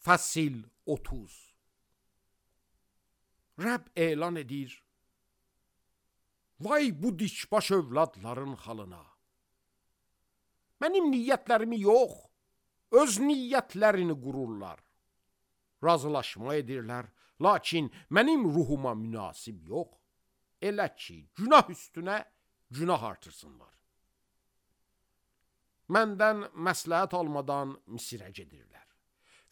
Fəsil 30. Rəbb elan edir: vay bu dikbaş övladların halına. Mənim niyyətlərimi yox, öz niyyətlərini qururlar. Razılaşma edirlər, lakin mənim ruhuma münasib yox. Elə ki, günah üstünə günah artırsınlar. Məndən məsləhət almadan Misirə gedirlər.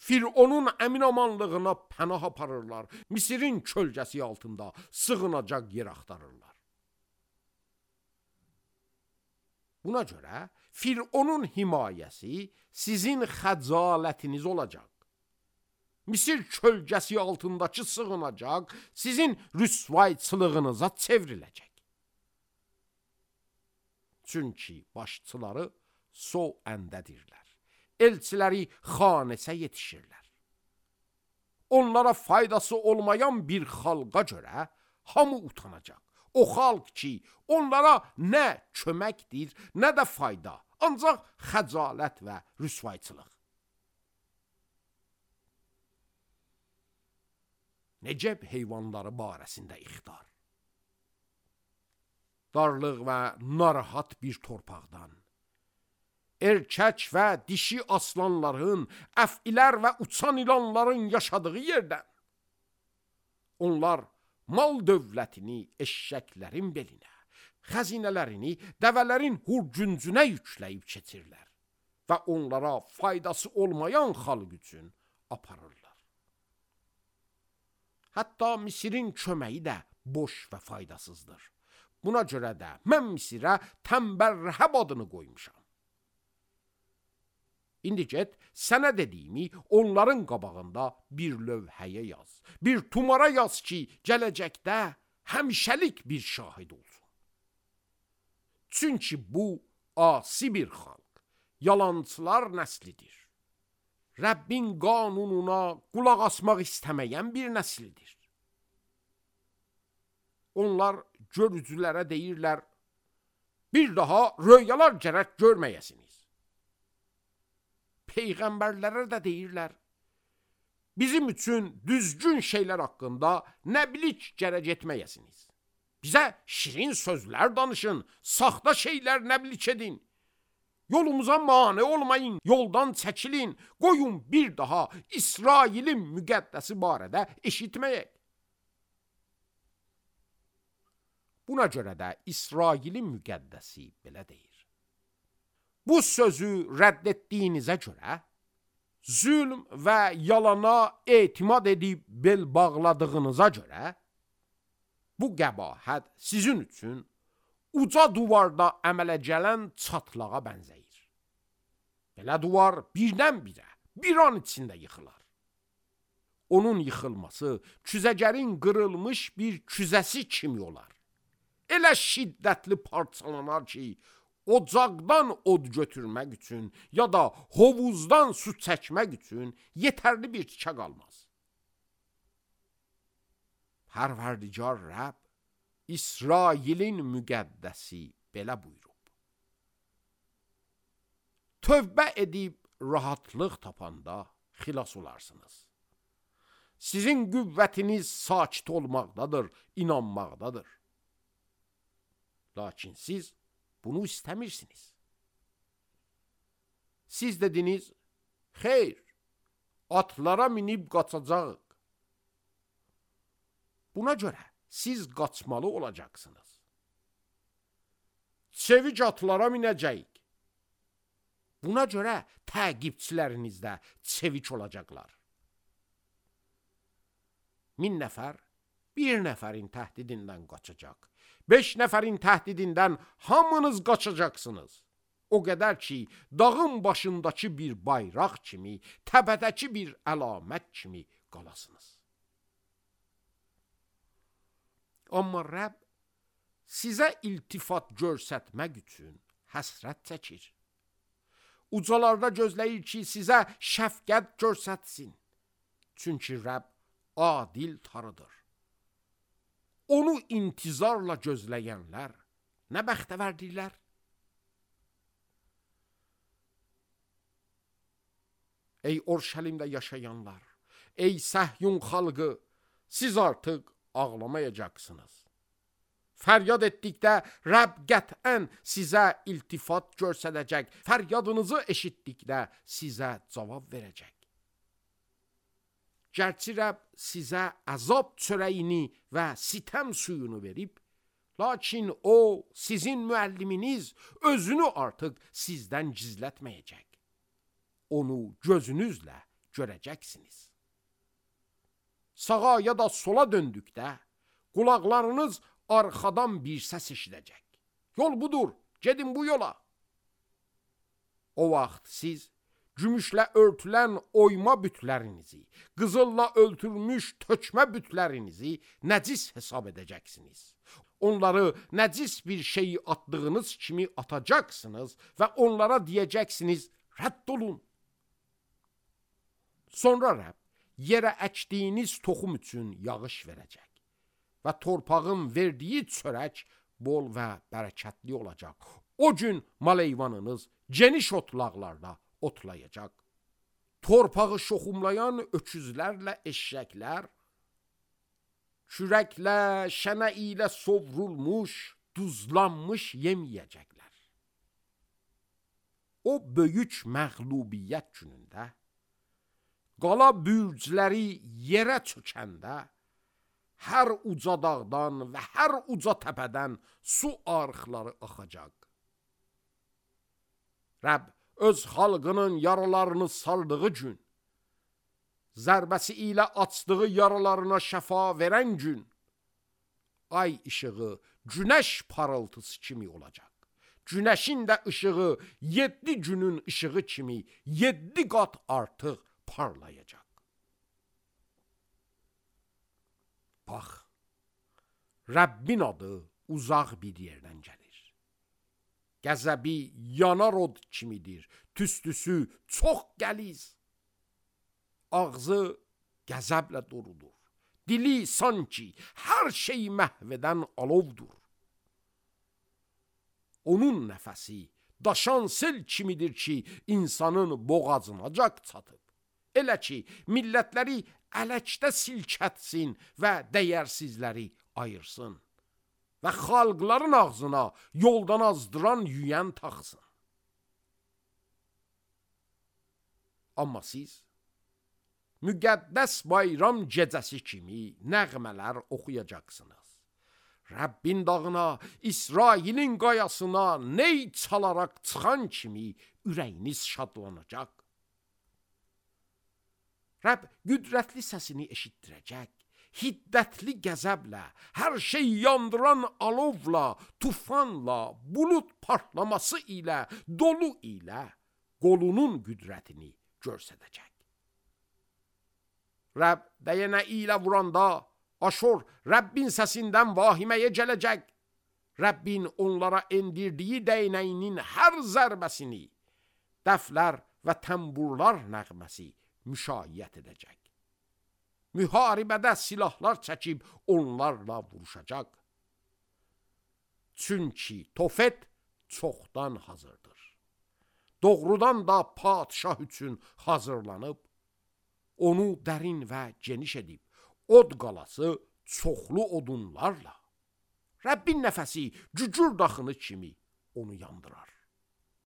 Fironun əminamanlığına pənah aparırlar. Misirin kölgəsi altında sığınacaq yer axtarırlar. Buna görə Fironun himayəsi sizin xəcalətiniz olacaq. Misir kölgəsi altındakı sığınacaq sizin rüsvayçılığınıza çevriləcək. Çünki başçıları sol əndədirlər. Elçiləri xanəsə yetişirlər. Onlara faydası olmayan bir xalqa görə hamı utanacaq. O xalq ki, onlara nə köməkdir, nə də fayda, ancaq xəcalət və rüsvayçılıq. Necəb heyvanları barəsində ixtar. Darlıq və narahat bir torpaqdan, erkək və dişi aslanların, əfilər və uçan ilanların yaşadığı yerdən, onlar mal dövlətini eşşəklərin belinə, xəzinələrini dəvələrin hurcuncuna yükləyib keçirlər və onlara faydası olmayan xalq üçün aparırlar. Hətta Misirin köməyi də boş və faydasızdır. Buna görə də mən Misirə tənbəl Rəhəb adını qoymuşam. İndi get, sənə dediyimi onların qabağında bir lövhəyə yaz. Bir tumara yaz ki, gələcəkdə həmişəlik bir şahid olsun. Çünki bu asi bir xalq, yalançılar nəslidir. Rəbbin qanununa qulaq asmaq istəməyən bir nəsildir. Onlar görücülərə deyirlər, bir daha röyalar gərək görməyəsiniz. Peyğəmbərlərə də deyirlər, bizim üçün düzgün şeylər haqqında nə bilik gərək etməyəsiniz. Bizə şirin sözlər danışın, saxta şeylər nə bilik edin. Yolumuza mane olmayın, yoldan çəkilin, qoyun bir daha İsrailin müqəddəsi barədə eşitməyək. Buna görə də İsrailin müqəddəsi belə deyir. Bu sözü rədd etdiyinizə görə, zülm və yalana etimad edib bel bağladığınıza görə, bu qəbahət sizin üçün uca duvarda əmələ gələn çatlağa bənzəyir. Belə duvar birdən-birə, bir an içində yıxılar. Onun yıxılması küzəgərin qırılmış bir küzəsi kimi olar. Elə şiddətli parçalanar ki, ocaqdan od götürmək üçün ya da hovuzdan su çəkmək üçün yetərli bir tikə qalmaz. Pərverdigar Rəbb, İsrailin müqəddəsi belə buyurub. Tövbə edib rahatlıq tapanda xilas olarsınız. Sizin qüvvətiniz sakit olmaqdadır, inanmaqdadır. Lakin siz bunu istəmirsiniz. Siz dediniz, xeyr, atlara minib qaçacaq. Buna görə siz qaçmalı olacaqsınız. Çevik atlara minəcəyik. Buna görə təqibçiləriniz də çevik olacaqlar. 1000 nəfər bir nəfərin təhdidindən qaçacaq. 5 nəfərin təhdidindən hamınız qaçacaqsınız. O qədər ki, dağın başındakı bir bayraq kimi, təpədəki bir əlamət kimi qalasınız. Amma Rəbb sizə iltifat göstərmək üçün həsrət çəkir. Ucalarda gözləyir ki, sizə şəfqət göstərsin. Çünki Rəbb adil Tanrıdır. Onu intizarla gözləyənlər nə bəxtəvərdirlər? Ey Orşəlimdə yaşayanlar, ey Səhyun xalqı, siz artıq ağlamayacaqsınız. Fəryad etdikdə Rəbb qətən sizə iltifat göstərəcək, fəryadınızı eşitdikdə sizə cavab verəcək. Gərçi Rəbb sizə əzab çörəyini və sitəm suyunu verib, lakin o, sizin müəlliminiz özünü artıq sizdən gizlətməyəcək. Onu gözünüzlə görəcəksiniz. Sağa ya da sola döndükdə, qulaqlarınız arxadan bir səs eşidəcək. Yol budur, gedin bu yola. O vaxt siz gümüşlə örtülən oyma bütlərinizi, qızılla örtülmüş tökmə bütlərinizi nəcis hesab edəcəksiniz. Onları nəcis bir şeyi atdığınız kimi atacaqsınız və onlara deyəcəksiniz, rədd olun. Sonra Rəbb yerə əkdiyiniz toxum üçün yağış verəcək və torpağın verdiyi çörək bol və bərəkətli olacaq. O gün mal-heyvanınız geniş otlaqlarda otlayacaq. Torpağı şoxumlayan öküzlərlə eşşəklər, kürəklə, şənə ilə sovrulmuş, duzlanmış yem yeyəcəklər. O böyük məğlubiyyət günündə, qala bürcləri yerə çökəndə, hər uca dağdan və hər uca təpədən su arxları axacaq. Rəbb öz xalqının yaralarını saldığı gün, zərbəsi ilə açdığı yaralarına şəfa verən gün, ay işığı günəş parıltısı kimi olacaq. Günəşin də işığı 7 günün işığı kimi 7 qat artıq parlayacaq. Bax, Rəbbin adı uzaq bir yerdən gəlir. Qəzəbi yanar od kimidir, tüstüsü çox qəliz. Ağzı qəzəblə doludur, dili sanki hər şeyi məhv edən alovdur. Onun nəfəsi daşan sel kimidir ki, insanın boğazınacac çatıb. Elə ki, millətləri ələkdə silkətsin və dəyərsizləri ayırsın və xalqların ağzına yoldan azdıran yüyən taxsın. Amma siz müqəddəs bayram gecəsi kimi nəğmələr oxuyacaqsınız. Rəbbin dağına, İsrailin qayasına ney çalarak çıxan kimi ürəyiniz şadlanacaq. Rəbb qüdrətli səsini eşitdirəcək, hiddətli qəzəblə, hər şey yandıran alovla, tufanla, bulud partlaması ilə, dolu ilə qolunun qüdrətini göstərəcək. Rəbb dəyənə ilə vuranda, Aşur Rəbbin səsindən vahiməyə gələcək. Rəbbin onlara endirdiyi dəynəyinin hər zərbəsini, dəflər və təmburlar nəğməsi müşayiət edəcək. Müharibədə silahlar çəkib onlarla vuruşacaq. Çünki Tofet çoxdan hazırdır. Doğrudan da padşah üçün hazırlanıb, onu dərin və geniş edib, od qalası çoxlu odunlarla, Rəbbin nəfəsi cücür daxını kimi onu yandırar.